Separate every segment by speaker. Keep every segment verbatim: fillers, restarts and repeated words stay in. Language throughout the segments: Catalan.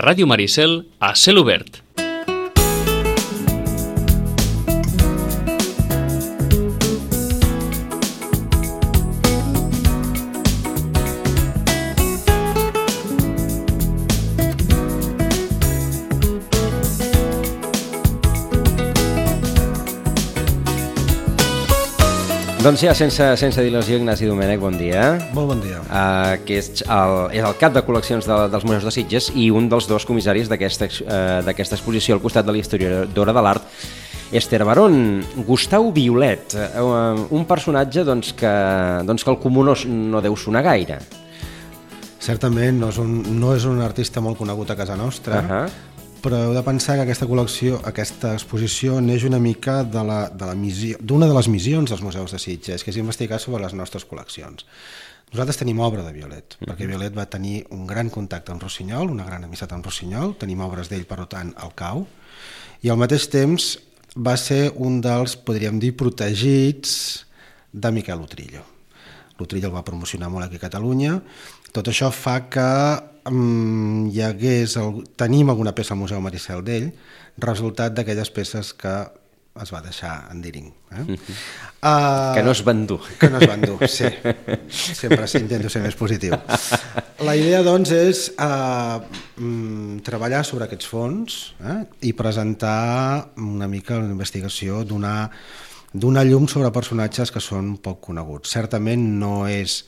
Speaker 1: Ràdio Maricel a cel obert.
Speaker 2: Doncs ja, sense, sense dilació, Ignasi Domènech, bon dia.
Speaker 3: Molt bon dia.
Speaker 2: Uh, que és el, és el cap de col·leccions de, dels Museus de Sitges i un dels dos comissaris d'aquesta uh, d'aquesta exposició al costat de la historiadora de l'art, Esther Barón. Gustau Violet, uh, un personatge doncs, que, doncs, que el comú no, no deu sonar gaire.
Speaker 3: Certament no és, un, no és un artista molt conegut a casa nostra, uh-huh. però heu de pensar que aquesta col·lecció, aquesta exposició neix una mica de la, de la missió, d'una de les missions dels Museus de Sitges, que és investigar sobre les nostres col·leccions. Nosaltres tenim obra de Violet, uh-huh. perquè Violet va tenir un gran contacte amb Rossinyol, una gran amistat amb Rossinyol, tenim obres d'ell, per tant, al cau, i al mateix temps va ser un dels, podríem dir, protegits de Miquel Utrillo. L'Utrillo el va promocionar molt aquí a Catalunya. Tot això fa que um, hi hagués el, tenim alguna peça al Museu Maricel d'ell, resultat d'aquelles peces que es va deixar en Diring. Eh?
Speaker 2: Uh-huh.
Speaker 3: Uh,
Speaker 2: que no es van dur.
Speaker 3: Que no es van dur, sí. Sempre intento ser més positiu. La idea, doncs, és uh, um, treballar sobre aquests fons eh? i presentar una mica la investigació, donar, donar llum sobre personatges que són poc coneguts. Certament no és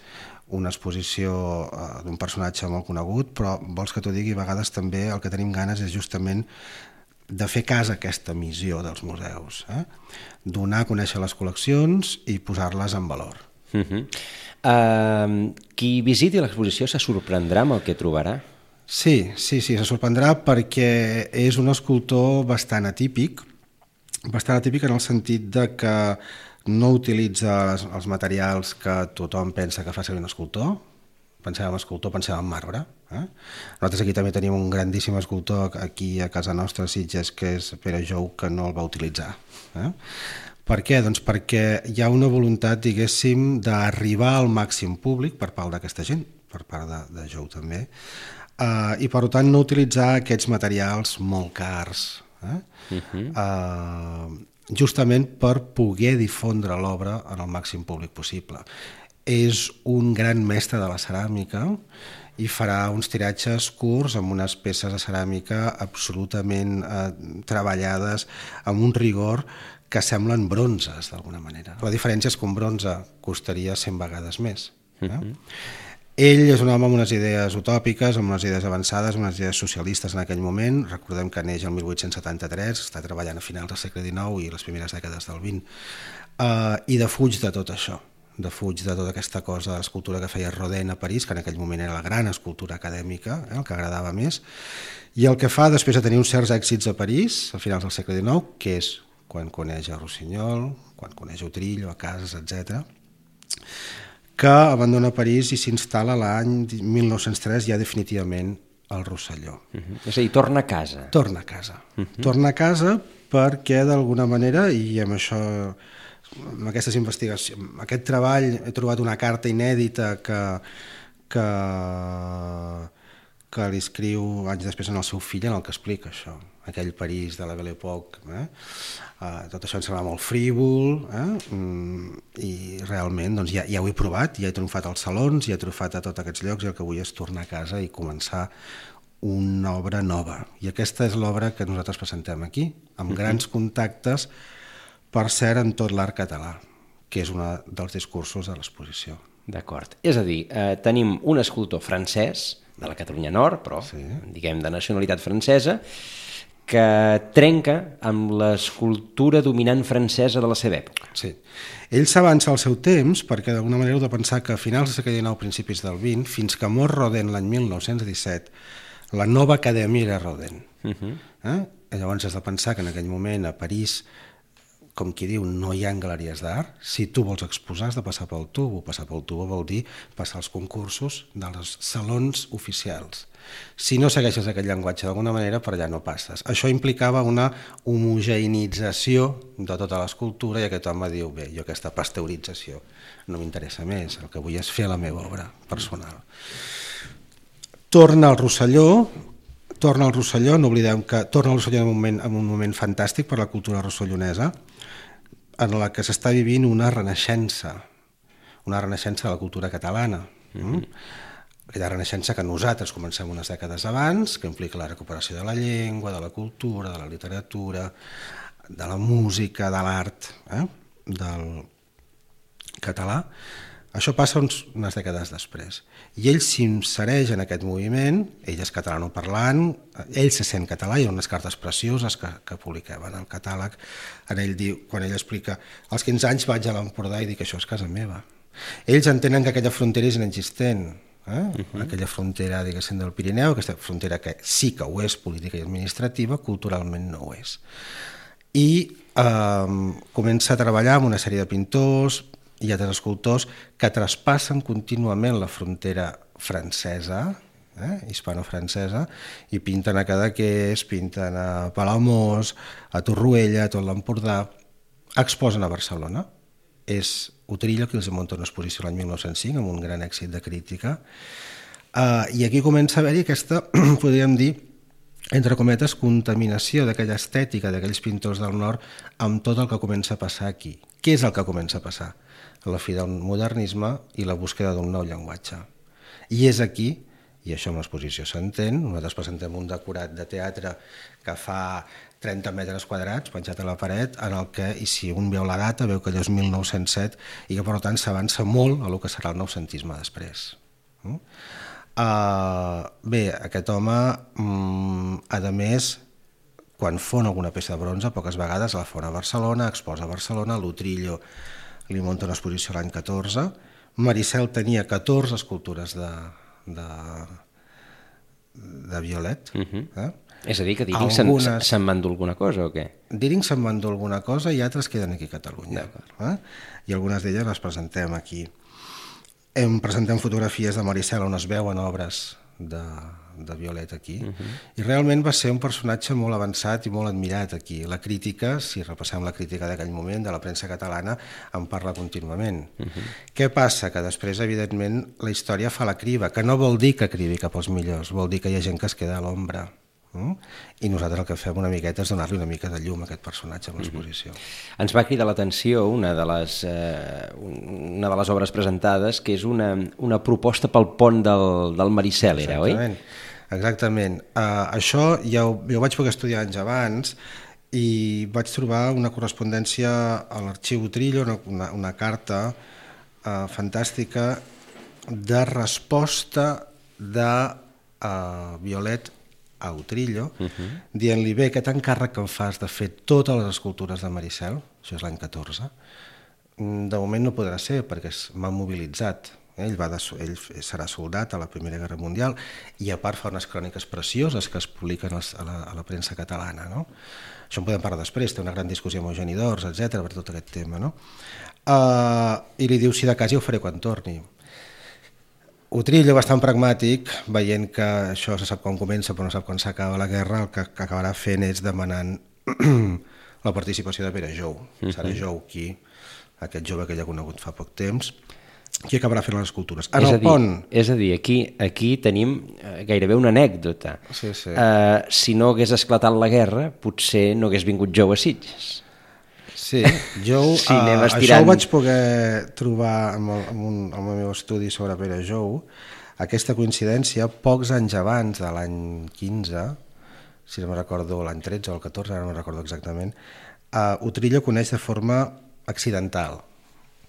Speaker 3: una exposició uh, d'un personatge molt conegut, però vols que t'ho digui, a vegades també el que tenim ganes és justament de fer cas a aquesta missió dels museus, eh? Donar a conèixer les col·leccions i posar-les en valor.
Speaker 2: Uh-huh. Uh, qui visiti l'exposició se sorprendrà amb el que trobarà?
Speaker 3: Sí, sí, sí, se sorprendrà perquè és un escultor bastant atípic, bastant atípic en el sentit de que no utilitza les, els materials que tothom pensa que fa servir un escultor. Pensem en escultor, pensem en marbre. Eh? Nosaltres aquí també tenim un grandíssim escultor aquí a casa nostra, a Sitges, que és Pere Jou, que no el va utilitzar. Eh? Per què? Doncs perquè hi ha una voluntat, diguéssim, d'arribar al màxim públic per part d'aquesta gent, per part de, de Jou també, eh, i per tant no utilitzar aquests materials molt cars, eh? Uh-huh. eh, justament per poder difondre l'obra en el màxim públic possible. És un gran mestre de la ceràmica i farà uns tiratges curts amb unes peces de ceràmica absolutament eh, treballades amb un rigor que semblen bronzes d'alguna manera. La diferència és que un bronze costaria cent vegades més. Eh? Uh-huh. Ell és un home amb unes idees utòpiques, amb unes idees avançades, amb unes idees socialistes en aquell moment. Recordem que neix el mil vuit-cents setanta-tres, està treballant a finals del segle dinou i les primeres dècades del vint, uh, i defuig de tot això, defuig de tota aquesta cosa de l'escultura que feia Rodin a París, que en aquell moment era la gran escultura acadèmica, eh, el que agradava més, i el que fa després de tenir uns certs èxits a París, a finals del segle dinou, que és quan coneix a Rossinyol, quan coneix a Utrillo, a Casas, etcètera, que abandona París i s'instal·la l'any mil nou-cents tres ja definitivament al Rosselló.
Speaker 2: Uh-huh. És a dir, torna a casa.
Speaker 3: Torna a casa. Uh-huh. Torna a casa perquè d'alguna manera, i amb això, amb aquestes investigacions, amb aquest treball he trobat una carta inèdita que, que, que li escriu anys després al seu fill en el que explica això, aquell París de la Belle Époque. Eh? Uh, tot això em sembla molt frívol, eh? mm, i realment doncs, ja, ja ho he provat, ja he tromfat als salons, ja he tromfat a tots aquests llocs i el que vull és tornar a casa i començar una obra nova. I aquesta és l'obra que nosaltres presentem aquí, amb uh-huh. grans contactes, per cert, en tot l'art català, que és un dels discursos de l'exposició.
Speaker 2: D'acord. És a dir, eh, tenim un escultor francès, de la Catalunya Nord, però sí. diguem de nacionalitat francesa, que trenca amb l'escultura dominant francesa de la seva època.
Speaker 3: Sí. Ell s'avança al seu temps perquè d'alguna manera heu de pensar que a finals del segle dinou, principis del vint, fins que mor Rodin l'any mil nou-cents disset, la nova acadèmia era Rodin. Uh-huh. eh? Llavors has de pensar que en aquell moment a París, com qui diu, no hi ha galeries d'art. Si tu vols exposar has de passar pel tubo. Passar pel tubo vol dir passar els concursos dels salons oficials. Si no segueixes aquest llenguatge d'alguna manera, per allà no passes. Això implicava una homogeneïtzació de tota l'escultura i aquest home diu, bé, jo aquesta pasteurització no m'interessa més, el que vull és fer la meva obra personal. Torna al Rosselló, torna al Rosselló, no oblidem que torna al Rosselló en un moment, en un moment fantàstic per la cultura rossellonesa, en la que s'està vivint una renaixença, una renaixença de la cultura catalana. Mm-hmm. Aquella renaixença que nosaltres comencem unes dècades abans, que implica la recuperació de la llengua, de la cultura, de la literatura, de la música, de l'art, eh? del català. Això passa uns, unes dècades després. I ell s'insereix en aquest moviment, ell és catalanoparlant, ell se sent català, hi ha unes cartes precioses que, que publiquem en el catàleg, en ell diu, quan ell explica, als quinze anys vaig a l'Empordà i dic, això és casa meva. Ells entenen que aquella frontera és inexistent, eh? Uh-huh. Aquella frontera, diguéssim, del Pirineu, aquesta frontera que sí que ho és política i administrativa, culturalment no ho és. I eh, comença a treballar amb una sèrie de pintors i altres escultors que traspassen contínuament la frontera francesa, eh, hispano-francesa, i pinten a Cadaqués, pinten a Palamós, a Torroella, a tot l'Empordà, exposen a Barcelona. És Utrillo qui els munta una exposició l'any mil nou-cents cinc amb un gran èxit de crítica, uh, i aquí comença a haver-hi aquesta, podríem dir, entre cometes, contaminació d'aquella estètica d'aquells pintors del nord amb tot el que comença a passar aquí. Què és el que comença a passar? La fi del modernisme i la búsqueda d'un nou llenguatge. I és aquí, i això amb l'exposició s'entén, nosaltres presentem un decorat de teatre que fa trenta metres quadrats penjat a la paret, en el que, i si un veu la data, veu que allò és mil nou-cents set i que per tant s'avança molt a el que serà el noucentisme després. Uh, bé, aquest home, um, a més, quan fon alguna peça de bronze, poques vegades la fon a Barcelona, exposa a Barcelona, l'Utrillo li munta una exposició l'any catorze, Maricel tenia catorze escultures de, de, de Violet. Uh-huh. eh?
Speaker 2: És a dir, que Diring Algunes... se'n se van dur alguna cosa o què?
Speaker 3: Diring se'n van dur alguna cosa i altres queden aquí a Catalunya. Eh? I algunes d'elles les presentem aquí. Em presentem fotografies de Maricel on es veuen obres de, de Violet aquí, uh-huh. i realment va ser un personatge molt avançat i molt admirat aquí. La crítica, si repassem la crítica d'aquell moment, de la premsa catalana, en parla contínuament. Uh-huh. Què passa? Que després, evidentment, la història fa la criba, que no vol dir que cribi cap als millors, vol dir que hi ha gent que es queda a l'ombra. Mm? I nosaltres el que fem una miqueta és donar-li una mica de llum a aquest personatge amb l'exposició.
Speaker 2: Mm-hmm. Ens va cridar l'atenció una de les, eh, una de les obres presentades, que és una, una proposta pel pont del, del Maricel, era,
Speaker 3: Exactament. oi? Exactament. Uh, això ja ho, jo ho vaig poder estudiar anys abans i vaig trobar una correspondència a l'arxiu Utrillo, una, una, una carta uh, fantàstica de resposta de uh, Violet a Utrillo, uh-huh. dient-li, bé, aquest encàrrec que em fas de fer totes les escultures de Maricel, això és l'any catorze, de moment no podrà ser perquè m'ha mobilitzat. Ell, va de, ell serà soldat a la Primera Guerra Mundial i a part fa unes cròniques precioses que es publiquen a la, a la premsa catalana. No? Això en podem parlar després, té una gran discussió amb Eugeni d'Ors, etcètera, per tot aquest tema. No? Uh, I li diu, si de cas ja ho faré quan torni. Utrillo, bastant pragmàtic, veient que això se sap quan comença però no sap quan s'acaba la guerra, el que acabarà fent és demanant la participació de Pere Jou. Uh-huh. Serà Jou qui, aquest jove que ja ha conegut fa poc temps, qui acabarà fent les escultures. En
Speaker 2: és,
Speaker 3: el
Speaker 2: a dir,
Speaker 3: pont...
Speaker 2: és a dir, aquí, aquí tenim gairebé una anècdota.
Speaker 3: Sí, sí.
Speaker 2: Uh, si no hagués esclatat la guerra, potser no hagués vingut Jou a Sitges.
Speaker 3: Sí, jo
Speaker 2: sí,
Speaker 3: uh, això ho vaig poder trobar amb el, amb un, amb el meu estudi sobre Pere Jou, aquesta coincidència, pocs anys abans de l'any quinze, si no me recordo l'any tretze o el catorze, ara no me recordo exactament, uh, Utrillo coneix de forma accidental,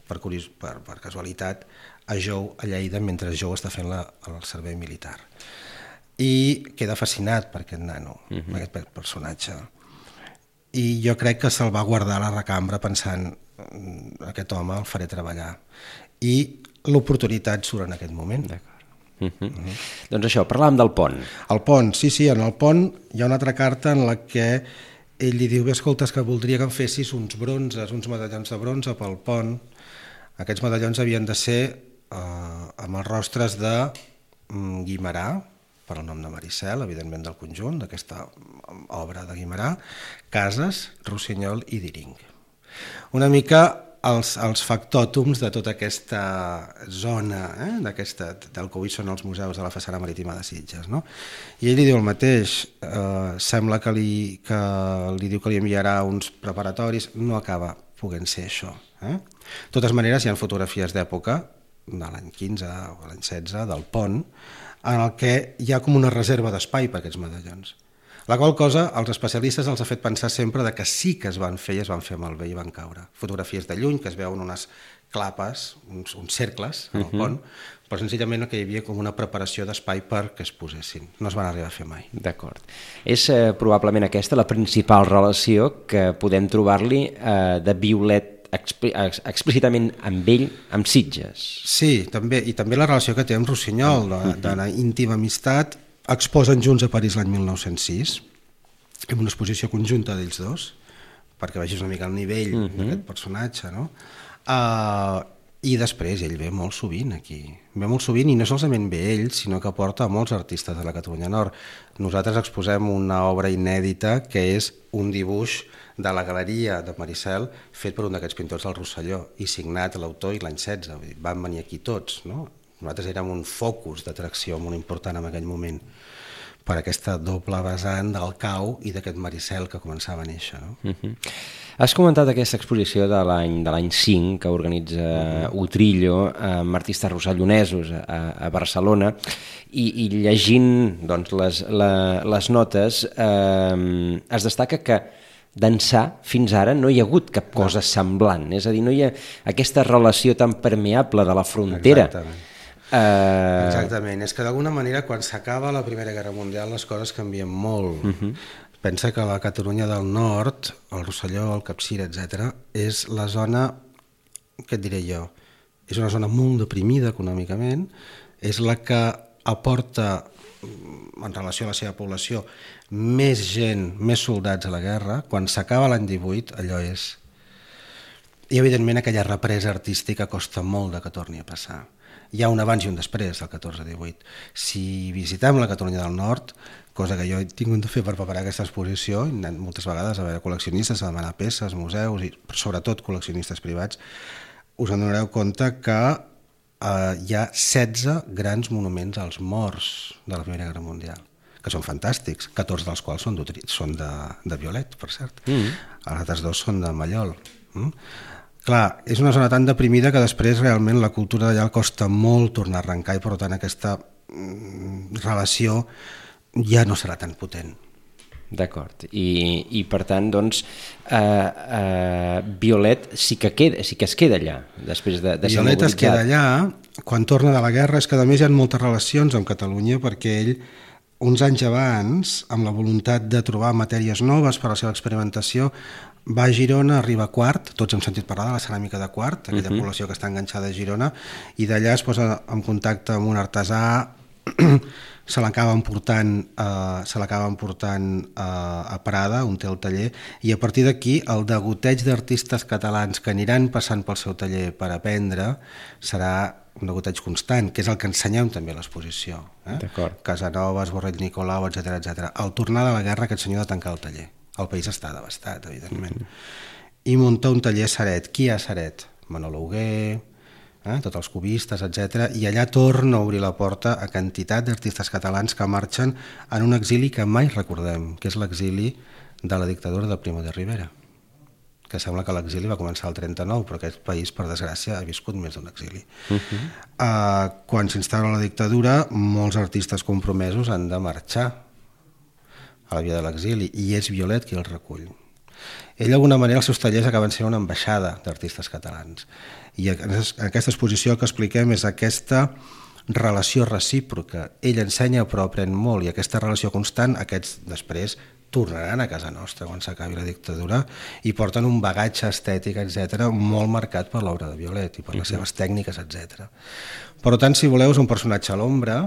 Speaker 3: per, curios, per, per casualitat, a Jou a Lleida mentre Jou està fent la, el servei militar. I queda fascinat per aquest nano, uh-huh. per aquest personatge. I jo crec que se'l va guardar a la recambra pensant aquest home el faré treballar. I l'oportunitat surt en aquest moment.
Speaker 2: D'acord. Uh-huh. Uh-huh. Doncs això, parlàvem del pont.
Speaker 3: El pont, sí, sí, en el pont hi ha una altra carta en la que ell li diu, bé, escolta, que voldria que em fessis uns bronzes, uns medallons de bronze pel pont. Aquests medallons havien de ser eh, amb els rostres de mm, Guimerà, per el nom de Maricel, evidentment del conjunt, d'aquesta obra de Guimerà, Casas, Rossinyol i Diring. Una mica els, els factòtums de tota aquesta zona, eh? d'aquesta, del que avui són els museus de la façana marítima de Sitges, no? I ell li diu el mateix, eh, sembla que li, que li diu que li enviarà uns preparatoris, no acaba podent ser això. Eh? De totes maneres, hi ha fotografies d'època, de l'any quinze o l'any setze, del pont, en el que hi ha com una reserva d'espai per aquests medallons. La qual cosa als especialistes els ha fet pensar sempre de que sí que es van fer i es van fer malbé i van caure. Fotografies de lluny que es veuen unes clapes, uns, uns cercles al pont, uh-huh. però senzillament que hi havia com una preparació d'espai perquè es posessin. No es van arribar a fer mai.
Speaker 2: D'acord. És eh, probablement aquesta la principal relació que podem trobar-li eh, de Violet expl explícitament amb ell, amb Sitges.
Speaker 3: Sí, també, i també la relació que té amb Rossinyol, d'una íntima amistat. Exposen junts a París l'any mil nou-cents sis, amb una exposició conjunta d'ells dos, perquè vegis una mica el nivell uh-huh. d'aquest personatge, no? Uh, I després ell ve molt sovint aquí, ve molt sovint i no solament ve ell, sinó que porta molts artistes de la Catalunya Nord. Nosaltres exposem una obra inèdita que és un dibuix de la galeria de Maricel fet per un d'aquests pintors del Rosselló i signat l'autor i l'any setze, van venir aquí tots, no? Nosaltres érem un focus d'atracció molt important en aquell moment per aquesta doble vessant del cau i d'aquest Maricel que començava a néixer. No?
Speaker 2: Uh-huh. Has comentat aquesta exposició de l'any de l'any cinc que organitza uh-huh. Utrillo amb artistes rossellonesos a, a Barcelona i, i llegint doncs, les, la, les notes eh, es destaca que d'ençà fins ara no hi ha hagut cap cosa semblant, és a dir, no hi ha aquesta relació tan permeable de la frontera.
Speaker 3: Exactament. Uh... Exactament, és que d'alguna manera quan s'acaba la Primera Guerra Mundial les coses canvien molt. Uh-huh. Pensa que la Catalunya del Nord, el Rosselló, el Capcir, etcètera, és la zona, què et diré jo, és una zona molt deprimida econòmicament, és la que aporta, en relació a la seva població, més gent, més soldats a la guerra. Quan s'acaba l'any divuit, allò és... I evidentment aquella represa artística costa molt de que torni a passar. Hi ha un abans i un després del catorze divuit. Si visitem la Catalunya del Nord, cosa que jo he tingut de fer per preparar aquesta exposició, he anat moltes vegades a veure col·leccionistes, a demanar peces, museus i sobretot col·leccionistes privats, us en donareu compte que eh, hi ha setze grans monuments als morts de la Primera Guerra Mundial, que són fantàstics, catorze dels quals són, són de, de Violet, per cert. Mm. Els altres dos són de Mallol. Mm? Clar, és una zona tan deprimida que després realment la cultura d'allà costa molt tornar a arrencar i per tant aquesta mm, relació ja no serà tan potent.
Speaker 2: D'acord, I, i per tant doncs eh, eh, Violet sí que, queda, sí que es queda allà després de, de ser
Speaker 3: Violet
Speaker 2: mobilitzat.
Speaker 3: Es queda allà, quan torna de la guerra és que a més hi ha moltes relacions amb Catalunya perquè ell uns anys abans, amb la voluntat de trobar matèries noves per a la seva experimentació, va a Girona, arriba a Quart, tots hem sentit parlar de la ceràmica de Quart, aquella uh-huh. població que està enganxada a Girona, i d'allà es posa en contacte amb un artesà, se l'acaben portant, eh, se l'acaben portant eh, a Prada, on té el taller, i a partir d'aquí el degoteig d'artistes catalans que aniran passant pel seu taller per aprendre serà un degoteig constant, que és el que ensenyem també a l'exposició. Eh? Casanovas, Borrell Nicolau, etcètera, etcètera. Al tornar de la guerra aquest senyor de tancar el taller. El país està devastat, evidentment. Mm-hmm. I munta un taller a Ceret. Qui hi ha a Ceret? Manolo Hugué, eh? tots els cubistes, etcètera. I allà torna a obrir la porta a quantitat d'artistes catalans que marxen en un exili que mai recordem, que és l'exili de la dictadura de Primo de Rivera, que sembla que l'exili va començar el trenta-nou, però aquest país, per desgràcia, ha viscut més d'un exili. Uh-huh. uh, quan s'instaura la dictadura, molts artistes compromesos han de marxar a la via de l'exili, i és Violet qui el recull. Ell, d'alguna manera, els seus tallers acaben sent una ambaixada d'artistes catalans. I en aquesta exposició el que expliquem és aquesta relació recíproca. Ell ensenya però aprèn molt, i aquesta relació constant, aquests després tornaran a casa nostra quan s'acabi la dictadura i porten un bagatge estètic, etcètera, molt marcat per l'obra de Violet i per les seves tècniques, etcètera. Per tant, si voleu, és un personatge a l'ombra.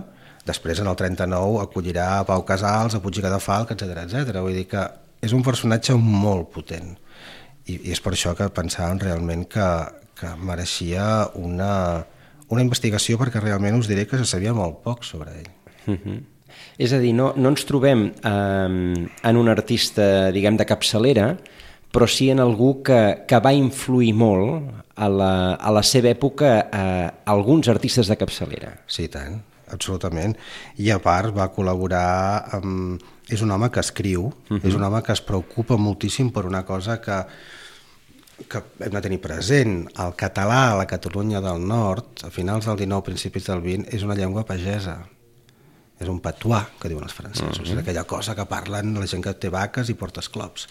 Speaker 3: Després, en el trenta-nou, acollirà a Pau Casals, a Puig i Cadafalch, etcètera, etcètera. Vull dir que és un personatge molt potent. I, i és per això que pensàvem realment que, que mereixia una, una investigació, perquè realment us diré que se sabia molt poc sobre ell.
Speaker 2: Uh-huh. És a dir, no, no ens trobem eh, en un artista, diguem, de capçalera, però sí en algú que, que va influir molt a la, a la seva època a alguns artistes de capçalera.
Speaker 3: Sí, tant, absolutament. I a part va col·laborar amb... És un home que escriu, uh-huh. és un home que es preocupa moltíssim per una cosa que, que hem de tenir present. El català a la Catalunya del Nord, a finals del dinou, principis del vint, és una llengua pagesa. És un patuà, que diuen els francesos, uh-huh. és aquella cosa que parlen la gent que té vaques i porta esclops.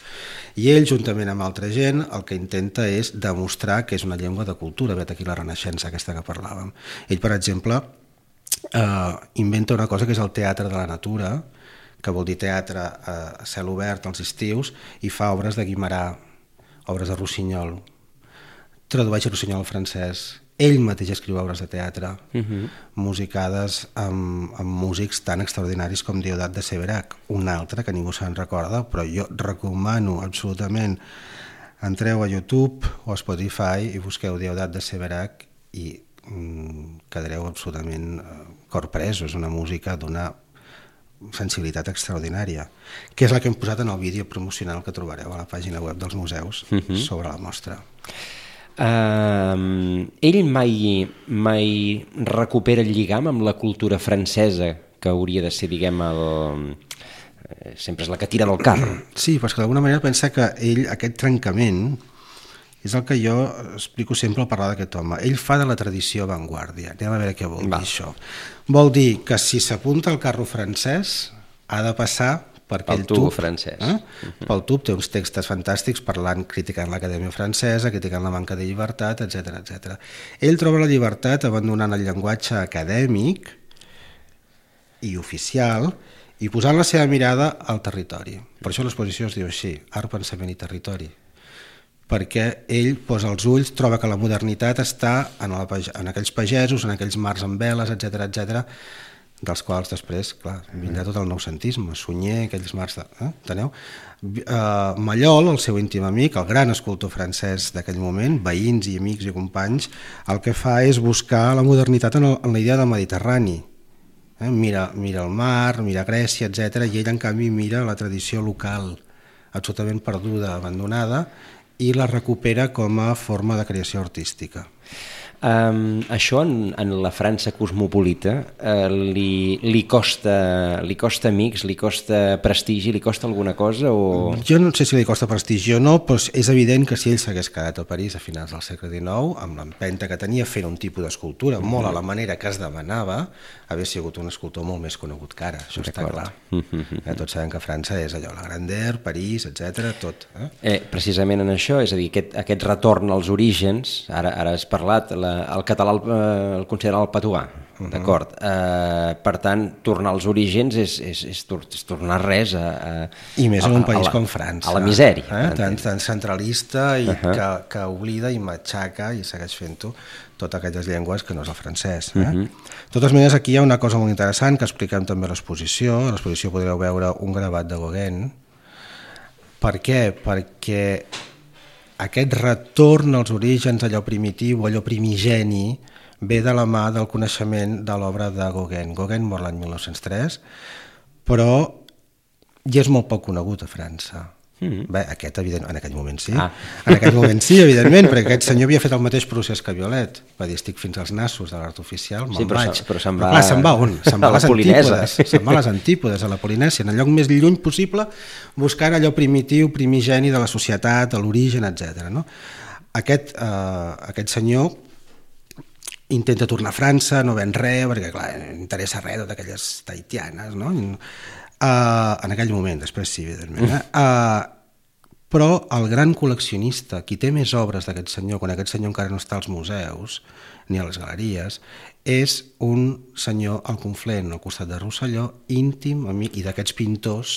Speaker 3: I ell, juntament amb altra gent, el que intenta és demostrar que és una llengua de cultura, vet aquí la Renaixença aquesta que parlàvem. Ell, per exemple, eh, inventa una cosa que és el teatre de la natura, que vol dir teatre a cel obert als estius, i fa obres de Guimerà, obres de Rossinyol, tradueix Rossinyol al francès. Ell mateix escriu obres de teatre, uh-huh. musicades amb, amb músics tan extraordinaris com Diodat de Séverac, un altre que ningú se'n recorda, però jo recomano absolutament, entreu a YouTube o a Spotify i busqueu Diodat de Séverac i mm, quedareu absolutament corpresos. És una música d'una sensibilitat extraordinària, que és la que hem posat en el vídeo promocional que trobareu a la pàgina web dels museus uh-huh. sobre la mostra.
Speaker 2: Uh, ell mai, mai recupera el lligam amb la cultura francesa, que hauria de ser, diguem, el... sempre és la que tira del carro.
Speaker 3: Sí, però és que d'alguna manera pensa que ell, aquest trencament, és el que jo explico sempre al parlar d'aquest home. Ell fa de la tradició avantguàrdia. Anem a veure què vol
Speaker 2: Va.
Speaker 3: dir això. Vol dir que si s'apunta al carro francès ha de passar per aquell
Speaker 2: tub,
Speaker 3: tub
Speaker 2: francès.
Speaker 3: Eh? Uh-huh. Pel tub té uns textos fantàstics parlant, criticant l'Acadèmia Francesa, criticant la manca de llibertat, etcètera, etcètera. Ell troba la llibertat abandonant el llenguatge acadèmic i oficial i posant la seva mirada al territori. Per això l'exposició es diu així, Art, Pensament i Territori. Perquè ell posa els ulls, troba que la modernitat està en, la, en aquells pagesos, en aquells mars amb veles, etcètera, etcètera, dels quals després, clar, vindrà tot el noucentisme, Sunyer, aquells mars de... Eh? Enteneu? Uh, Mallol, el seu íntim amic, el gran escultor francès d'aquell moment, veïns i amics i companys, el que fa és buscar la modernitat en, el, en la idea del Mediterrani. Eh? Mira, mira el mar, mira Grècia, etcètera, i ell, en canvi, mira la tradició local, absolutament perduda, abandonada, i la recupera com a forma de creació artística.
Speaker 2: Um, això en, en la França cosmopolita uh, li, li, costa, li costa amics, li costa prestigi, li costa alguna cosa? O...
Speaker 3: Jo no sé si li costa prestigi o no, però és evident que si ell s'hagués quedat a París a finals del segle dinou, amb l'empenta que tenia fent un tipus d'escultura mm-hmm. molt a la manera que es demanava, hauria sigut un escultor molt més conegut que ara, això està clar. Mm-hmm. Eh, tots sabem que França és allò, la Grandeur, París, etcètera, tot. Eh?
Speaker 2: Eh, precisament en això, és a dir, aquest, aquest retorn als orígens, ara, ara has parlat, la, el català el, el considera el patuà, uh-huh. d'acord? Eh, per tant, tornar als orígens és, és, és, és tornar res a, a...
Speaker 3: I més en un país
Speaker 2: la,
Speaker 3: com França.
Speaker 2: A la misèria.
Speaker 3: Eh? Tan, tan centralista i uh-huh. que, que oblida i matxaca i segueix fent-ho totes aquelles llengües que no és el francès. Eh? Uh-huh. De totes maneres, aquí hi ha una cosa molt interessant que expliquem també a l'exposició. A l'exposició podreu veure un gravat de Gauguin. Per què? Perquè aquest retorn als orígens, allò primitiu, allò primigeni, ve de la mà del coneixement de l'obra de Gauguin. Gauguin mor l'any mil nou-cents tres, però ja és molt poc conegut a França. Mm-hmm. Bé, aquest, evident, en aquell moment sí. Ah. En aquell moment sí, evidentment, perquè aquest senyor havia fet el mateix procés que Violet. Va dir, estic fins als nassos de l'art oficial, me'n
Speaker 2: sí, però
Speaker 3: vaig.
Speaker 2: Però se'n va...
Speaker 3: Però clar, se'n va on? Se'n va a les
Speaker 2: Polinèsia.
Speaker 3: antípodes. Se'n va a les antípodes, a la Polinèsia, en el lloc més lluny possible, buscant allò primitiu, primigeni de la societat, de l'origen, etcètera. No? Aquest, eh, aquest senyor intenta tornar a França, no ven res, perquè clar, no interessa res d'aquelles tahitianes, no? Uh, en aquell moment, després sí, evidentment. Eh? Uh, però el gran col·leccionista, qui té més obres d'aquest senyor, quan aquest senyor encara no està als museus ni a les galeries, és un senyor al Conflent, al costat de Rosselló, íntim amic i d'aquests pintors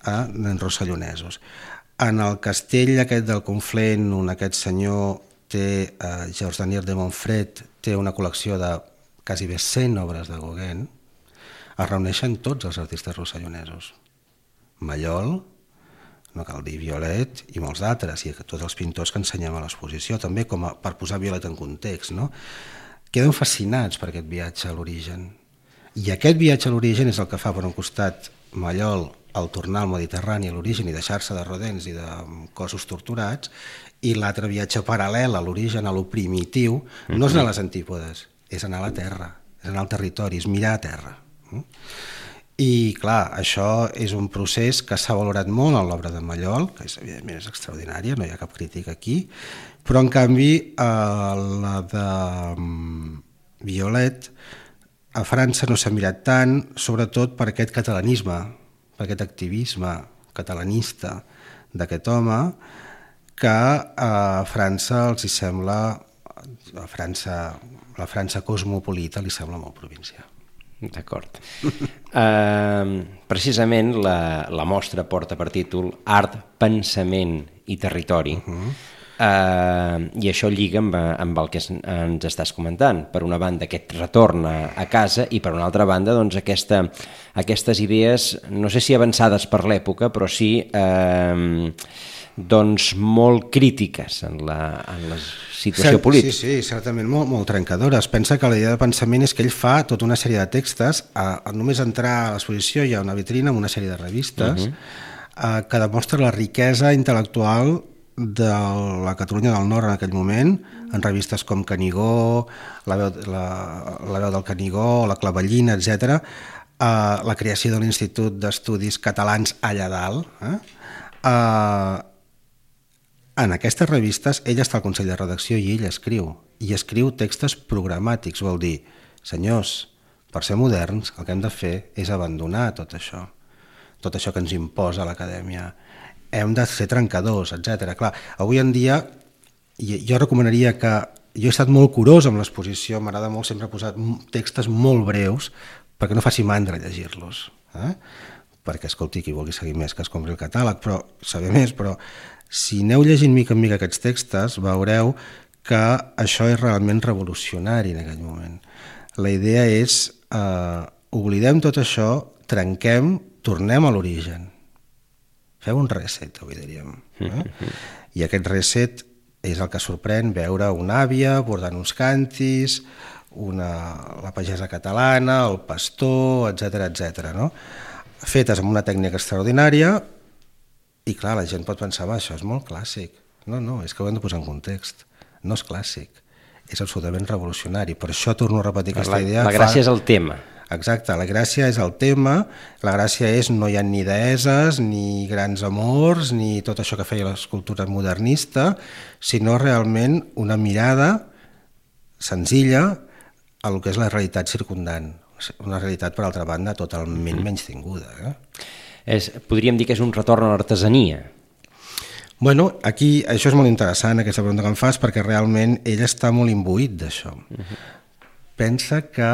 Speaker 3: eh, rossellonesos. En el castell aquest del Conflent, on aquest senyor té, eh, Georges Daniel de Montfret, té una col·lecció de quasi bé cent obres de Gauguin, es reuneixen tots els artistes rossellonesos. Mallol, no cal dir Violet, i molts d'altres, i tots els pintors que ensenyem a l'exposició, també com a, per posar Violet en context, no? Queden fascinats per aquest viatge a l'origen. I aquest viatge a l'origen és el que fa, per un costat, Mallol el tornar al Mediterrani, a l'origen, i deixar-se de rodents i de cossos torturats, i l'altre viatge paral·lel a l'origen, a lo primitiu, no és anar a les antípodes, és anar a la terra, és anar al territori, és mirar a terra. I clar, això és un procés que s'ha valorat molt en l'obra de Mallol, que és, evidentment és extraordinària, no hi ha cap crítica aquí, però en canvi eh, la de Violet a França no s'ha mirat tant, sobretot per aquest catalanisme, per aquest activisme catalanista d'aquest home, que a França els hi sembla, a França, la França cosmopolita li sembla molt provincià.
Speaker 2: D'acord. Uh, precisament la, la mostra porta per títol Art, Pensament i Territori. Uh-huh. Uh, I això lliga amb, amb el que ens estàs comentant. Per una banda, aquest retorn a, a casa, i per una altra banda, doncs, aquesta, aquestes idees, no sé si avançades per l'època, però sí uh, doncs, molt crítiques en la, en la situació
Speaker 3: Cert,
Speaker 2: política.
Speaker 3: Sí, sí, certament molt, molt trencadora. Es pensa que la idea de pensament és que ell fa tota una sèrie de textos, a, a només entrar a l'exposició hi ha una vitrina amb una sèrie de revistes uh-huh. a, que demostra la riquesa intel·lectual de la Catalunya del Nord en aquell moment, en revistes com Canigó, la veu, la, la veu del Canigó, la Clavellina, etcètera, uh, la creació de l'Institut d'Estudis Catalans allà dalt. Eh? Uh, en aquestes revistes ell està al Consell de Redacció i ell escriu, i escriu textos programàtics, vol dir, senyors, per ser moderns el que hem de fer és abandonar tot això, tot això que ens imposa l'acadèmia, hem de ser trencadors, etcètera. Clar, avui en dia jo recomanaria que, jo he estat molt curós amb l'exposició, m'agrada molt sempre posar textos molt breus perquè no faci mandra llegir-los, eh? Perquè, escolti, qui vulgui seguir més que es compri el catàleg, però saber més, però si aneu llegint mica en mica aquests textos veureu que això és realment revolucionari en aquell moment. La idea és, eh, oblidem tot això, trenquem, tornem a l'origen. Feu un reset, avui diríem. Eh? I aquest reset és el que sorprèn veure una àvia bordant uns cantis, una, la pagesa catalana, el pastor, etcètera, etcètera, no? Fetes amb una tècnica extraordinària, i clar, la gent pot pensar, va, això és molt clàssic. No, no, és que ho hem de posar en context. No és clàssic, és absolutament revolucionari. Per això torno a repetir aquesta
Speaker 2: la,
Speaker 3: idea.
Speaker 2: La gràcia fa... és el tema.
Speaker 3: Exacte, la gràcia és el tema, la gràcia és no hi ha ni deeses, ni grans amors, ni tot això que feia l'escultura modernista, sinó realment una mirada senzilla a el que és la realitat circundant, una realitat, per altra banda, totalment menystinguda. Eh?
Speaker 2: És, podríem dir que és un retorn a l'artesania.
Speaker 3: Bueno, aquí això és molt interessant, aquesta pregunta que em fas, perquè realment ell està molt imbuït d'això. Uh-huh. Pensa que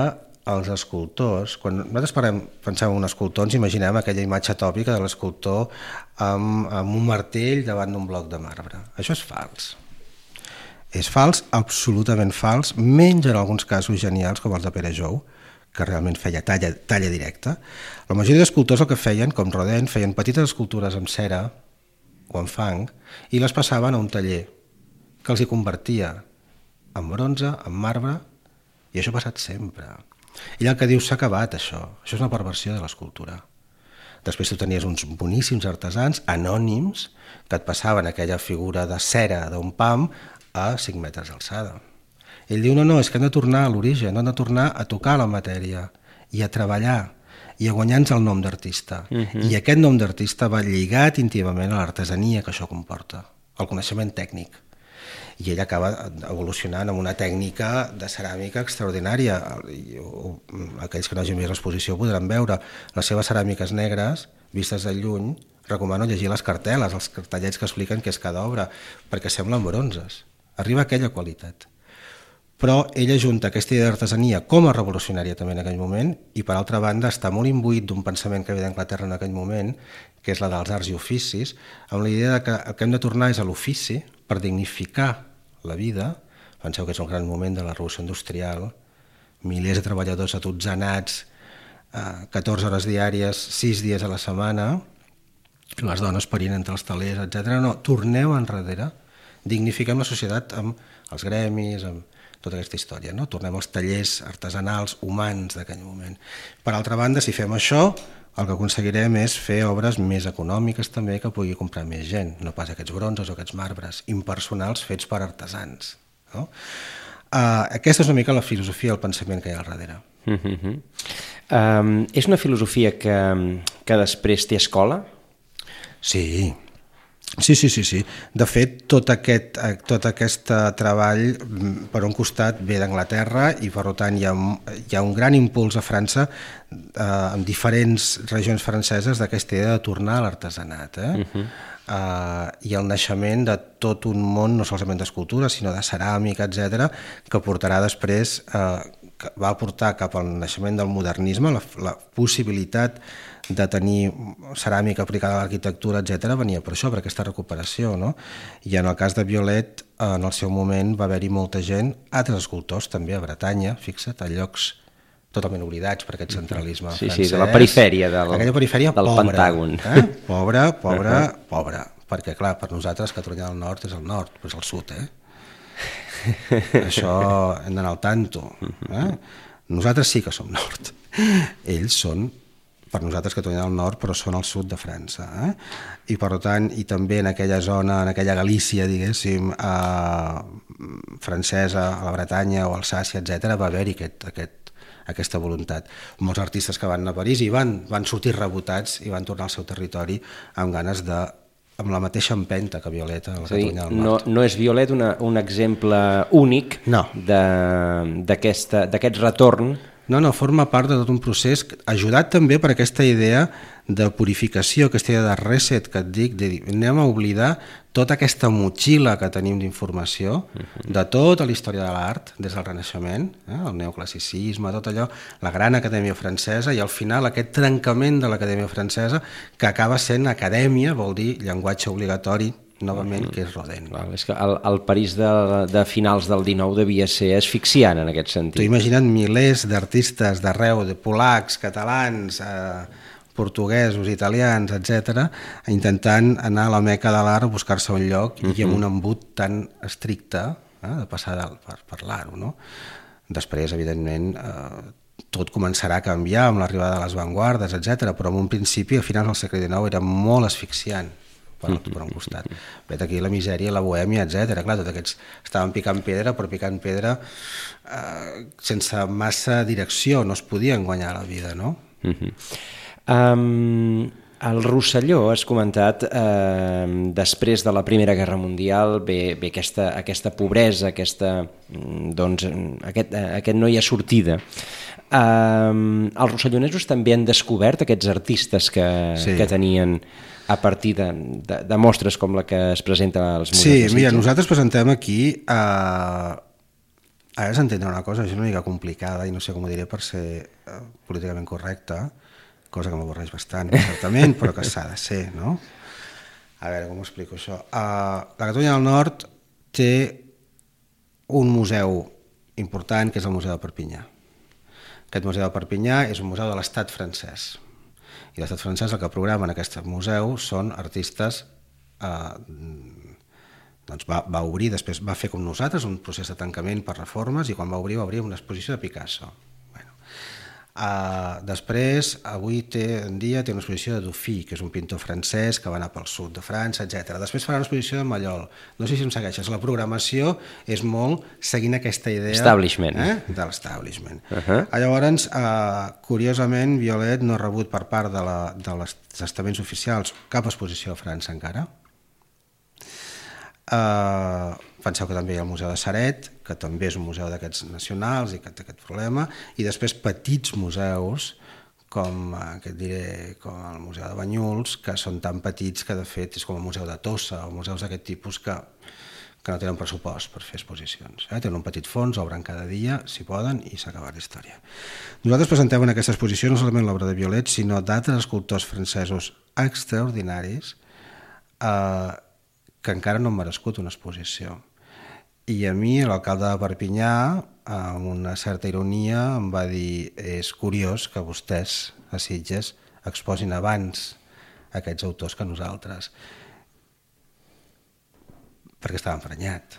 Speaker 3: els escultors, quan nosaltres parlem, pensem en un escultor, ens imaginem aquella imatge tòpica de l'escultor amb, amb un martell davant d'un bloc de marbre. Això és fals. És fals, absolutament fals, menys en alguns casos genials com els de Pere Jou, que realment feia talla, talla directa. La majoria d'escultors el que feien, com Rodin, feien petites escultures amb cera o amb fang i les passaven a un taller que els hi convertia en bronze, en marbre, i això ha passat sempre. Ell el que diu, s'ha acabat això, això és una perversió de l'escultura. Després tu tenies uns boníssims artesans anònims que et passaven aquella figura de cera d'un pam a cinc metres d'alçada. Ell diu, no, no, és que hem de tornar a l'origen, hem de tornar a tocar la matèria i a treballar i a guanyar-nos el nom d'artista. Uh-huh. I aquest nom d'artista va lligat íntimament a l'artesania que això comporta, al coneixement tècnic. I ell acaba evolucionant amb una tècnica de ceràmica extraordinària. Aquells que no hagin vist l'exposició podran veure les seves ceràmiques negres, vistes de lluny. Recomano llegir les cartel·les, els cartellets que expliquen què és cada obra, perquè semblen bronzes. Arriba a aquella qualitat. Però ell ajunta aquesta idea d'artesania com a revolucionària també en aquell moment, i per altra banda està molt imbuït d'un pensament que ve d'Anglaterra en aquell moment, que és la dels arts i oficis, amb la idea que el que hem de tornar és a l'ofici per dignificar la vida. Penseu que és un gran moment de la revolució industrial, milers de treballadors atutzanats, catorze hores diàries, sis dies a la setmana, les dones parint entre els talers, etcètera. No, torneu enrere, dignifiquem la societat amb els gremis, amb tota aquesta història, no? Tornem als tallers artesanals humans d'aquell moment. Per altra banda, si fem això, el que aconseguirem és fer obres més econòmiques també que pugui comprar més gent, no pas aquests bronzes o aquests marbres impersonals fets per artesans. No? Uh, aquesta és una mica la filosofia, el pensament que hi ha al darrere.
Speaker 2: Uh-huh. Um, és una filosofia que, que després té escola?
Speaker 3: Sí, sí, sí, sí, sí. De fet, tot aquest, tot aquest treball, per un costat, ve d'Anglaterra i, per tant, hi ha, hi ha un gran impuls a França eh, en diferents regions franceses d'aquesta idea de tornar a l'artesanat. Eh? Uh-huh. Uh, i el naixement de tot un món, no solament d'escultura, sinó de ceràmica, etcètera, que portarà després, eh, que va portar cap al naixement del modernisme, la, la possibilitat de tenir ceràmica aplicada a l'arquitectura, etcètera, venia per això, per aquesta recuperació, no? I en el cas de Violet, en el seu moment va haver-hi molta gent, altres escultors també a Bretanya, fixa't, a llocs totalment oblidats per aquest centralisme
Speaker 2: sí,
Speaker 3: francès.
Speaker 2: Sí, de la perifèria del,
Speaker 3: aquella perifèria
Speaker 2: del
Speaker 3: pobra,
Speaker 2: Pentàgon.
Speaker 3: Eh? Pobra, pobra, uh -huh. pobra. Perquè, clar, per nosaltres Catalunya del Nord és el nord, però és el sud, eh? Això hem d'anar al tanto. Eh? Nosaltres sí que som nord. Ells són, per nosaltres, Catalunya del Nord, però són al sud de França. Eh? I, per tant, i també en aquella zona, en aquella Galícia, diguéssim, eh, francesa, a la Bretanya o Alsàcia, etcètera, va haver-hi aquest, aquest aquesta voluntat. Molts artistes que van anar a París i van, van sortir rebotats i van tornar al seu territori amb ganes de, amb la mateixa empenta que Violeta a la Catalunya del Nord.
Speaker 2: No, no és Violet una, un exemple únic
Speaker 3: no.
Speaker 2: d'aquest retorn?
Speaker 3: No, no, forma part de tot un procés ajudat també per aquesta idea de purificació, aquesta idea de reset que et dic, de dir, anem a oblidar tota aquesta motxilla que tenim d'informació de tota la història de l'art des del Renaixement, eh, el neoclassicisme, tot allò, la gran acadèmia francesa, i al final aquest trencament de l'acadèmia francesa que acaba sent acadèmia, vol dir llenguatge obligatori, novament, que és Rodin.
Speaker 2: Val, és que el, el París de, de finals del dinou devia ser asfixiant en aquest sentit.
Speaker 3: T'ho imagina't milers d'artistes d'arreu, de polacs, catalans, eh, portuguesos, italians, etcètera, intentant anar a la meca de l'art a buscar-se un lloc uh-huh. i amb un embut tan estricte, eh, de passar per, per l'art, no? Després, evidentment, eh, tot començarà a canviar amb l'arribada de les avantguardes, etcètera, però en un principi, a finals del segle dinou, era molt asfixiant per, per un costat. Vet aquí la misèria, la bohèmia, etcètera. Clar, tots aquests estaven picant pedra, però picant pedra eh, sense massa direcció, no es podien guanyar la vida, no?
Speaker 2: Uh-huh. Um, el Rosselló, has comentat, eh, després de la Primera Guerra Mundial ve, ve aquesta, aquesta pobresa, aquesta, doncs, aquest, aquest no hi ha sortida. Um, els rossellonesos també han descobert aquests artistes que, sí. que tenien a partir de, de, de mostres com la que es presenta als Museus
Speaker 3: sí,
Speaker 2: de Sitges.
Speaker 3: Mira, nosaltres presentem aquí... Uh... Ara s'entendrà una cosa, és una mica complicada i no sé com ho diré per ser uh, políticament correcta, cosa que m'avorreix bastant, certament, però que s'ha de ser, no? A veure, com ho explico això? Uh, la Catalunya del Nord té un museu important, que és el Museu de Perpinyà. Aquest Museu de Perpinyà és un museu de l'estat francès. I l'estat francès el que programa en aquest museu són artistes... Uh, doncs va, va obrir, després va fer com nosaltres un procés de tancament per reformes i quan va obrir va obrir una exposició de Picasso. Bueno. Uh, després, avui té, en dia té una exposició de Dufy, que és un pintor francès que va anar pel sud de França, etcètera. Després farà una exposició de Mallol. No sé si em segueixes, la programació és molt seguint aquesta idea
Speaker 2: Establishment.
Speaker 3: Eh? de l'establishment. Uh-huh. Llavors, uh, curiosament, Violet no ha rebut per part de, la, de les estaments oficials cap exposició a França encara. Uh, penseu que també hi ha el Museu de Ceret, que també és un museu d'aquests nacionals i que té aquest problema, i després petits museus com, uh, que et diré, com el Museu de Banyuls, que són tan petits que de fet és com el Museu de Tossa o museus d'aquest tipus que, que no tenen pressupost per fer exposicions. Eh? Tenen un petit fons, obren cada dia, si poden, i s'ha acabat la història. Nosaltres presentem en aquesta exposició no solament l'obra de Violet, sinó d'altres escultors francesos extraordinaris eh, que encara no han merescut una exposició. I a mi, l'alcalde de Perpinyà, amb una certa ironia, em va dir és curiós que vostès, a Sitges, exposin abans aquests autors que nosaltres, perquè estava emprenyat.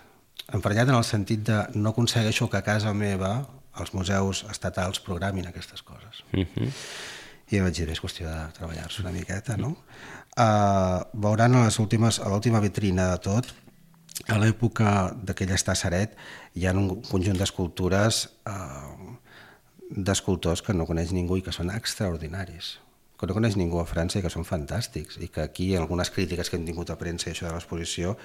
Speaker 3: emprenyat en el sentit de no aconsegueixo que a casa meva els museus estatals programin aquestes coses. Uh-huh. I vaig dir, és qüestió de treballar-se una miqueta, no? Uh, veuran a les últimes, a l'última vitrina de tot, a l'època d'aquell Estasseret, hi ha un conjunt d'escultures uh, d'escultors que no coneix ningú i que són extraordinaris, que no coneix ningú a França i que són fantàstics, i que aquí algunes crítiques que hem tingut a premsa i això de l'exposició,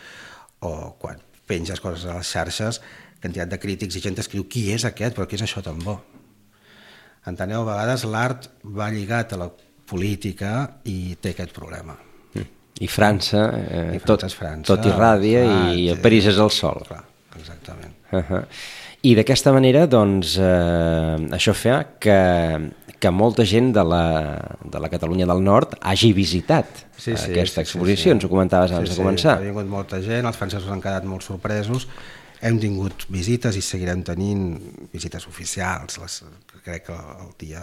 Speaker 3: o quan penges coses a les xarxes, quantitat de crítics i gent escriu qui és aquest, però què és això tan bo? Enteneu, a vegades l'art va lligat a la política i té aquest problema.
Speaker 2: I França, eh,
Speaker 3: I França
Speaker 2: tot,
Speaker 3: és França,
Speaker 2: tot irradia
Speaker 3: clar,
Speaker 2: i el París és el sol.
Speaker 3: Clar, exactament.
Speaker 2: Uh-huh. I d'aquesta manera, doncs, eh, això fa que, que molta gent de la, de la Catalunya del Nord hagi visitat
Speaker 3: sí, sí,
Speaker 2: aquesta
Speaker 3: sí,
Speaker 2: exposició,
Speaker 3: sí, sí.
Speaker 2: ens ho comentaves abans
Speaker 3: sí,
Speaker 2: de començar.
Speaker 3: Sí, ha vingut molta gent, els francesos han quedat molt sorpresos, hem tingut visites i seguirem tenint visites oficials, les, crec que el dia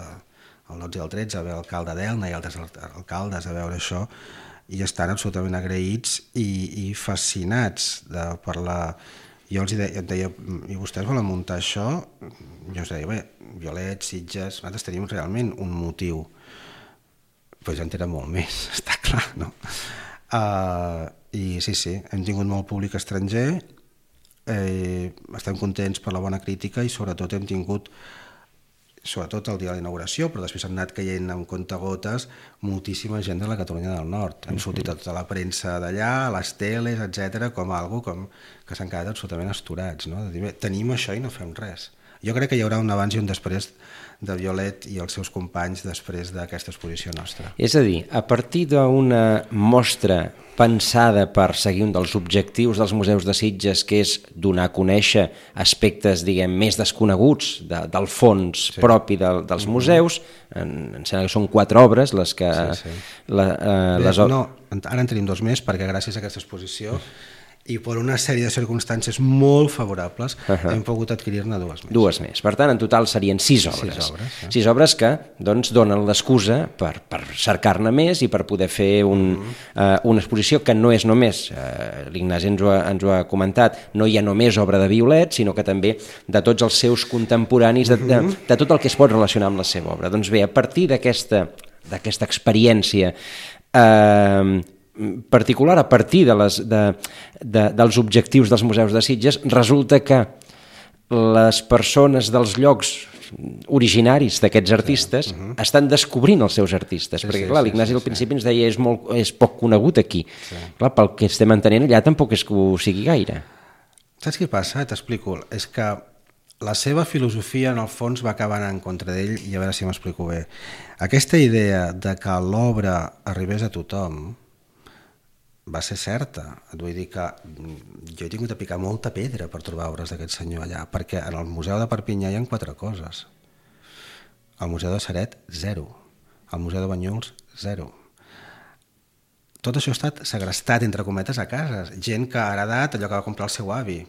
Speaker 3: el dotze i el tretze va haver l'alcalde d'Elna i altres alcaldes a veure això, i estan absolutament agraïts i, i fascinats de parlar. Jo els deia, deia, i vostès volen muntar això? Jo els deia, bé, Violet, Sitges, nosaltres tenim realment un motiu, però ja en tenen molt més, està clar, no? Uh, I sí, sí, hem tingut molt públic estranger, eh, estem contents per la bona crítica i sobretot hem tingut, sobretot el dia de la inauguració, però després han anat caient amb comptagotes moltíssima gent de la Catalunya del Nord. Hem sortit a tota la premsa d'allà, a les teles, etcètera, com algo com que s'han quedat absolutament astorats, no? De dir, bé, tenim això i no fem res. Jo crec que hi haurà un abans i un després de Violet i els seus companys després d'aquesta exposició nostra.
Speaker 2: És a dir, a partir d'una mostra pensada per seguir un dels objectius dels museus de Sitges, que és donar a conèixer aspectes, diguem, més desconeguts de, del fons sí. propi de, dels museus, en, em sembla que són quatre obres les que... Sí, sí. La, eh,
Speaker 3: Bé,
Speaker 2: les...
Speaker 3: No, ara en tenim dos més perquè gràcies a aquesta exposició i per una sèrie de circumstàncies molt favorables uh-huh. hem pogut adquirir-ne dues més.
Speaker 2: Dues més. Per tant, en total serien sis obres.
Speaker 3: Sis obres, eh?
Speaker 2: Sis obres que doncs, donen l'excusa per, per cercar-ne més i per poder fer un, uh-huh. uh, una exposició que no és només, uh, l'Ignasi ens, ho ha, ens ho ha comentat, no hi ha només obra de Violet, sinó que també de tots els seus contemporanis, de, de, de tot el que es pot relacionar amb la seva obra. Doncs bé, a partir d'aquesta d'aquesta experiència eh, particular, a partir de les, de, de, dels objectius dels museus de Sitges, resulta que les persones dels llocs originaris d'aquests artistes sí. uh-huh. estan descobrint els seus artistes, sí, perquè clar, sí, l'Ignasi sí, al principi sí. ens deia és, molt, és poc conegut aquí. Sí. Clar, pel que estem entenent allà tampoc és que ho sigui gaire.
Speaker 3: Saps què passa? T'explico. És que la seva filosofia en el fons va acabar en contra d'ell i a veure si m'explico bé. Aquesta idea de que l'obra arribés a tothom va ser certa. Et vull dir que jo he tingut a picar molta pedra per trobar obres d'aquest senyor allà, perquè en el Museu de Perpinyà hi ha quatre coses. Al Museu de Ceret, zero. Al Museu de Banyuls, zero. Tot això ha estat segrestat, entre cometes, a cases. Gent que ha heredat allò que va comprar el seu avi.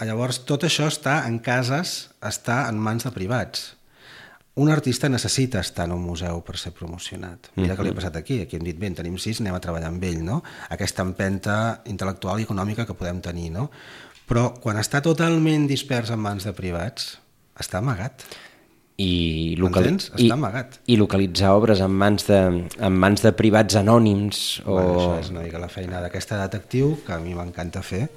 Speaker 3: Llavors, tot això està en cases, està en mans de privats. Un artista necessita estar en un museu per ser promocionat. Mira què li ha passat aquí. Aquí hem dit, bé, en tenim sis, anem a treballar amb ell, no? Aquesta empenta intel·lectual i econòmica que podem tenir, no? Però quan està totalment dispers en mans de privats, està amagat.
Speaker 2: I, local...
Speaker 3: està
Speaker 2: I,
Speaker 3: amagat.
Speaker 2: I localitzar obres en mans de, en mans de privats anònims o...
Speaker 3: Bueno, això és una mica la feina d'aquesta detectiu, que a mi m'encanta fer,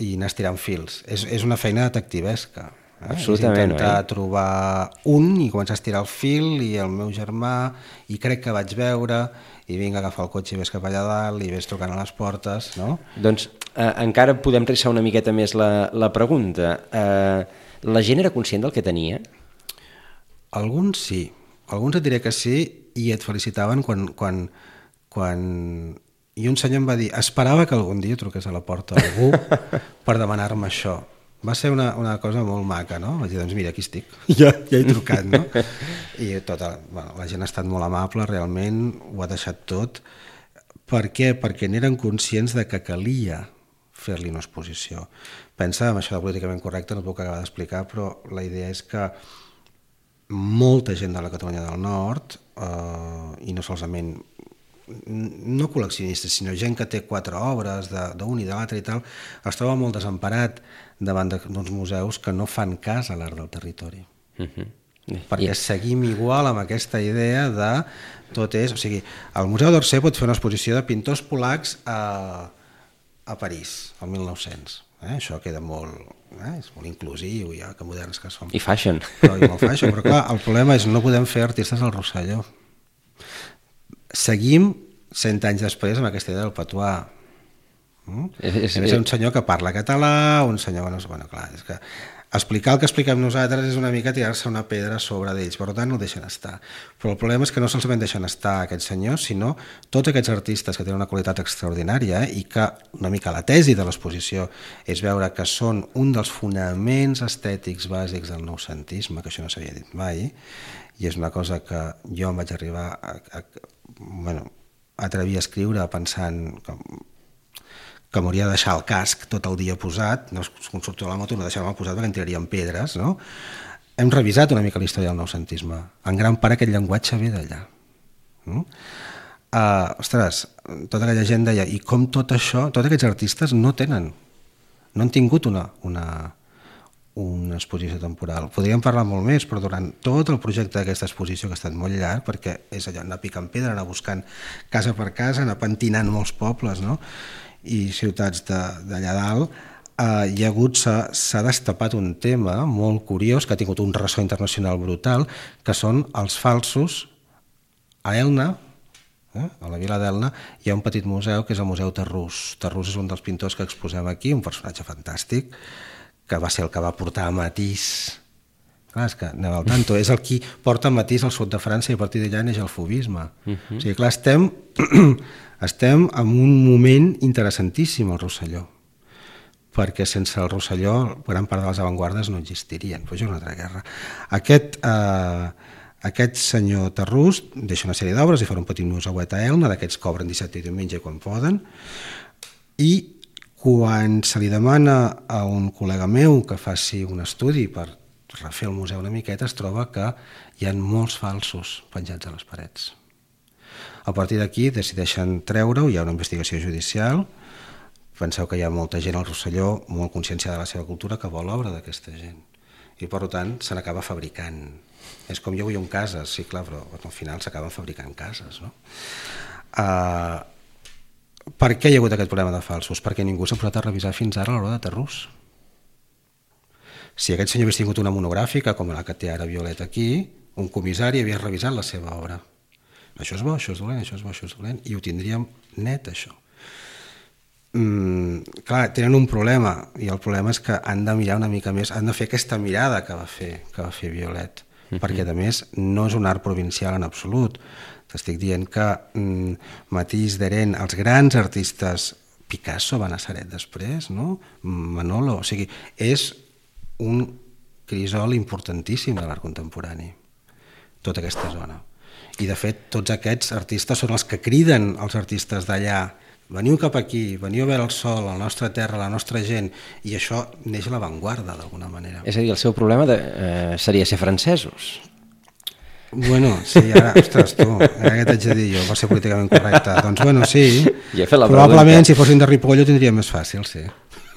Speaker 3: i anar estirant fils. És, és una feina detectivesca. Eh?
Speaker 2: Absolutament.
Speaker 3: És intentar
Speaker 2: eh?
Speaker 3: trobar un i començar a estirar el fil i el meu germà, i crec que vaig veure, i vinga, agafar el cotxe i ves cap allà dalt i ves trucant a les portes, no?
Speaker 2: Doncs eh, encara podem trissar una miqueta més la, la pregunta. Eh, la gent era conscient del que tenia?
Speaker 3: Alguns sí. Alguns et diré que sí i et felicitaven quan... quan, quan... I un senyor em va dir, esperava que algun dia truqués a la porta algú per demanar-me això. Va ser una, una cosa molt maca, no? Vaig dir, doncs mira, aquí estic, ja, ja he trucat, no? I tota, bueno, la gent ha estat molt amable, realment, ho ha deixat tot. Per què? Perquè n'eren conscients de que calia fer-li una exposició. Pensa, amb això de políticament correcte, no et puc acabar d'explicar, però la idea és que molta gent de la Catalunya del Nord, eh, i no solament no col·leccionistes, sinó gent que té quatre obres d'un i de l'altre i tal, es troba molt desemparat davant d'uns museus que no fan cas a l'art del territori. Uh-huh. Perquè yeah. seguim igual amb aquesta idea de tot és... O sigui, el Museu d'Orsay pot fer una exposició de pintors polacs a, a París, al mil nou-cents. Eh? Això queda molt... Eh? És molt inclusiu, ja que moderns que som.
Speaker 2: I fashion.
Speaker 3: Però, i molt fashion. Però clar, el problema és no podem fer artistes al Rosselló. Seguim cent anys després amb aquesta idea del patuà. Mm? És, és, és un senyor que parla català, un senyor que no... Bueno, clar, és que explicar el que expliquem nosaltres és una mica tirar-se una pedra a sobre d'ells, per tant no deixen estar. Però el problema és que no solament deixen estar aquests senyors, sinó tots aquests artistes que tenen una qualitat extraordinària eh, i que una mica la tesi de l'exposició és veure que són un dels fonaments estètics bàsics del noucentisme, que això no s'havia dit mai, i és una cosa que jo em vaig arribar a, a, bueno, a atrevir a escriure pensant que que m'hauria de deixar el casc tot el dia posat, no, quan surto de la moto no deixar-me posat perquè em tiraríem pedres, no? Hem revisat una mica la història del noucentisme. En gran part aquest llenguatge ve d'allà. No? Uh, ostres, tota aquella gent deia, i com tot això, tots aquests artistes no tenen, no han tingut una, una, una exposició temporal. Podríem parlar molt més, però durant tot el projecte d'aquesta exposició, que ha estat molt llarg, perquè és allò, anar picant pedra, anar buscant casa per casa, anar pentinant molts pobles, no? I ciutats d'allà dalt, eh, hi ha hagut, s'ha destapat un tema molt curiós que ha tingut un ressò internacional brutal, que són els falsos. A Elna, eh, a la vila d'Elna, hi ha un petit museu que és el Museu Terrús. Terrús és un dels pintors que exposem aquí, un personatge fantàstic, que va ser el que va portar Matisse. Clar, és que anem al tanto, és el qui porta Matisse al sud de França i a partir d'allà neix el fauvisme. Uh-huh. O sigui, clar, estem... Estem en un moment interessantíssim al Rosselló, perquè sense el Rosselló gran part de les avantguardes no existirien, però és una altra guerra. Aquest, eh, aquest senyor Terrús deixa una sèrie d'obres i fa un petit museuet a Elna, d'aquests cobren dissabte i diumenge quan poden, i quan se li demana a un col·lega meu que faci un estudi per refer el museu una miqueta, es troba que hi ha molts falsos penjats a les parets. A partir d'aquí decideixen treure-ho, hi ha una investigació judicial, penseu que hi ha molta gent al Rosselló molt conscienciada de la seva cultura que vol l'obra d'aquesta gent i per tant se n'acaba fabricant. És com jo vull un cases, sí clar, però al final s'acaben fabricant cases. No? Uh, per què hi ha hagut aquest problema de falsos? Perquè ningú s'ha posat a revisar fins ara l'obra de Terrús. Si aquest senyor hagués tingut una monogràfica com la que té ara Violet aquí, un comissari havia revisat la seva obra. Això és bo, això és dolent, això és bo, això és dolent, i ho tindríem net, això. Mm, clar, tenen un problema, i el problema és que han de mirar una mica més, han de fer aquesta mirada que va fer, que va fer Violet, uh-huh. perquè a més no és un art provincial en absolut. T'estic dient que mm, Matisse, Derain, els grans artistes, Picasso va a Nazaret després, no? Manolo, o sigui, és un crisol importantíssim de l'art contemporani, tota aquesta zona. I de fet tots aquests artistes són els que criden els artistes d'allà, veniu cap aquí, veniu a veure el sol, la nostra terra, la nostra gent, i això neix a l'avantguarda d'alguna manera.
Speaker 2: És a dir, el seu problema de, eh, seria ser francesos.
Speaker 3: Bueno, sí, ara, ostres, tu, ara què t'haig de dir jo, va ser políticament correcte. Doncs bueno, sí, probablement si fossin de Ripoll ho tindria més fàcil, sí.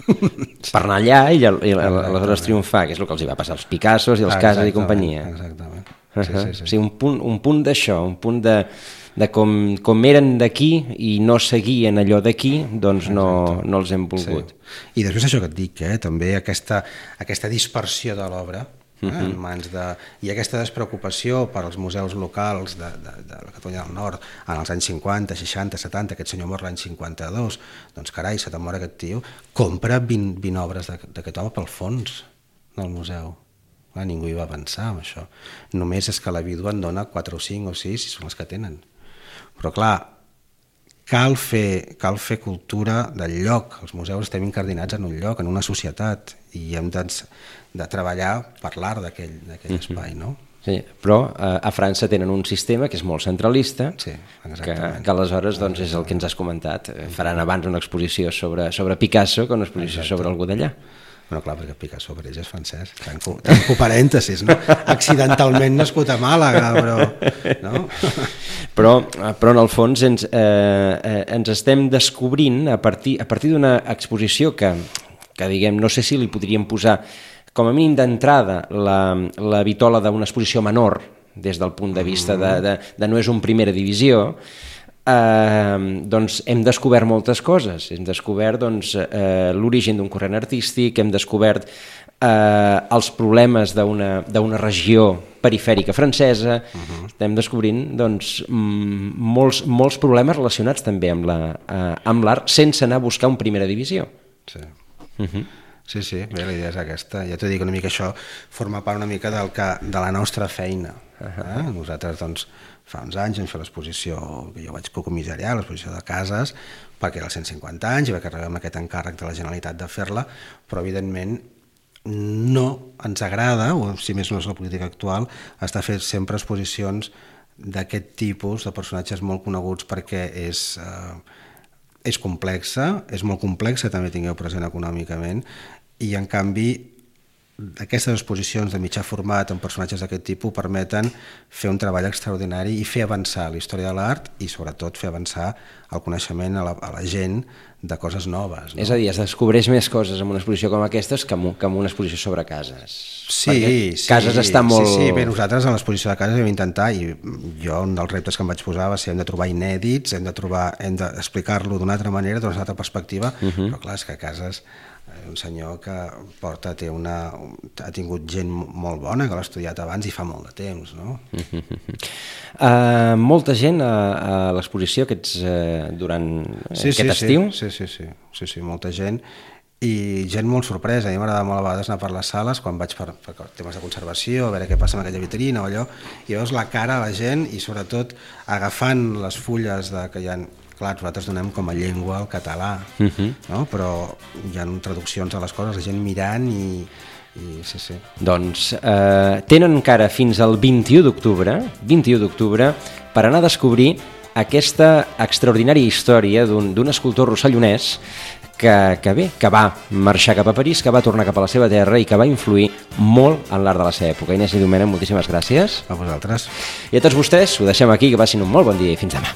Speaker 2: Per anar allà i, i aleshores triomfar, que és el que els hi va passar als Picassos i als Casas i companyia.
Speaker 3: Exactament.
Speaker 2: Sí, sí, sí. O sigui, un punt, un punt d'això, un punt de, de com, com eren d'aquí i no seguien allò d'aquí, doncs no, no els hem volgut.
Speaker 3: Sí. I després això que et dic, eh, també aquesta, aquesta dispersió de l'obra, eh, uh-huh. en mans de... i aquesta despreocupació per als museus locals de, de, de la Catalunya del Nord en els anys cinquanta, seixanta, setanta, aquest senyor mor l'any cinquanta-dos, doncs carai, se te'n mor aquest tio, compra vint, vint obres d'aquest home pel fons del museu. Ah, ningú hi va pensar en això. Només és que la vídua en dona quatre o cinc o sis i són les que tenen. Però clar, cal fer, cal fer cultura del lloc. Els museus estem incardinats en un lloc, en una societat, i hem de, de treballar per l'art d'aquell mm-hmm. espai, no?
Speaker 2: Sí, però eh, a França tenen un sistema que és molt centralista,
Speaker 3: sí,
Speaker 2: que, que aleshores doncs, és el que ens has comentat. Faran abans una exposició sobre, sobre Picasso que una exposició exacte. Sobre algú d'allà.
Speaker 3: Bueno, clar, perquè Picasso per ells és francès. Tanco, tanco parèntesis, no? Accidentalment nascut a Màlaga, però... No?
Speaker 2: Però, però en el fons ens, eh, ens estem descobrint a partir, a partir d'una exposició que, que, diguem, no sé si li podríem posar com a mínim d'entrada la, la vitola d'una exposició menor, des del punt de vista de, de, de no és un primera divisió, eh, doncs hem descobert moltes coses. Hem descobert doncs, eh, l'origen d'un corrent artístic, hem descobert eh, els problemes d'una d'una regió perifèrica francesa, uh-huh. Estem descobrint doncs, molts, molts problemes relacionats també amb la, eh, amb l'art sense anar a buscar un primera divisió.
Speaker 3: Sí.
Speaker 2: Uh-huh.
Speaker 3: Sí, sí, bé, la idea és aquesta. Ja t'ho dic, una mica això forma part una mica del que, de la nostra feina. Eh? Nosaltres, doncs, fa uns anys vam fer l'exposició que jo vaig cocomissariar, l'exposició de cases, perquè era els cent cinquanta anys i va carregar amb aquest encàrrec de la Generalitat de fer-la, però evidentment no ens agrada, o si més no és la política actual, estar fent sempre exposicions d'aquest tipus de personatges molt coneguts perquè és... Eh, és complexa, és molt complexa, també tingueu present econòmicament, i en canvi aquestes exposicions de mitjà format amb personatges d'aquest tipus permeten fer un treball extraordinari i fer avançar la història de l'art i sobretot fer avançar el coneixement a la, a la gent de coses noves. No?
Speaker 2: És a dir, es descobreix més coses en una exposició com aquestes que en, que en una exposició sobre cases.
Speaker 3: Sí,
Speaker 2: Perquè
Speaker 3: sí.
Speaker 2: Cases està molt...
Speaker 3: Sí, sí, bé, nosaltres en l'exposició de cases vam intentar, i jo un dels reptes que em vaig posar va ser hem de trobar inèdits, hem de trobar, hem d'explicar-lo d'una altra manera, d'una altra perspectiva, uh-huh. Però clar, és que cases... un senyor que porta, té una, ha tingut gent molt bona, que l'ha estudiat abans i fa molt de temps, no?
Speaker 2: Uh, molta gent a, a l'exposició aquests, uh, durant
Speaker 3: sí,
Speaker 2: aquest
Speaker 3: sí,
Speaker 2: estiu?
Speaker 3: Sí, sí, sí, sí, sí, molta gent, i gent molt sorpresa. A mi m'agrada molt a vegades anar per les sales, quan vaig per, per temes de conservació, a veure què passa amb aquella vitrina o allò, i veus la cara de la gent i sobretot agafant les fulles de, que hi ha... Clar, nosaltres donem com a llengua el català, uh-huh. No? Però hi ha traduccions a les coses, la gent mirant i, i sí, sí.
Speaker 2: Doncs eh, tenen encara fins al vint-i-u d'octubre, vint-i-u d'octubre, per anar a descobrir aquesta extraordinària història d'un, d'un escultor rossellonès que, que bé, que va marxar cap a París, que va tornar cap a la seva terra i que va influir molt en l'art de la seva època. Inés i Domènec, moltíssimes gràcies.
Speaker 3: A vosaltres.
Speaker 2: I a tots vostès, ho deixem aquí, que passin un molt bon dia i fins demà.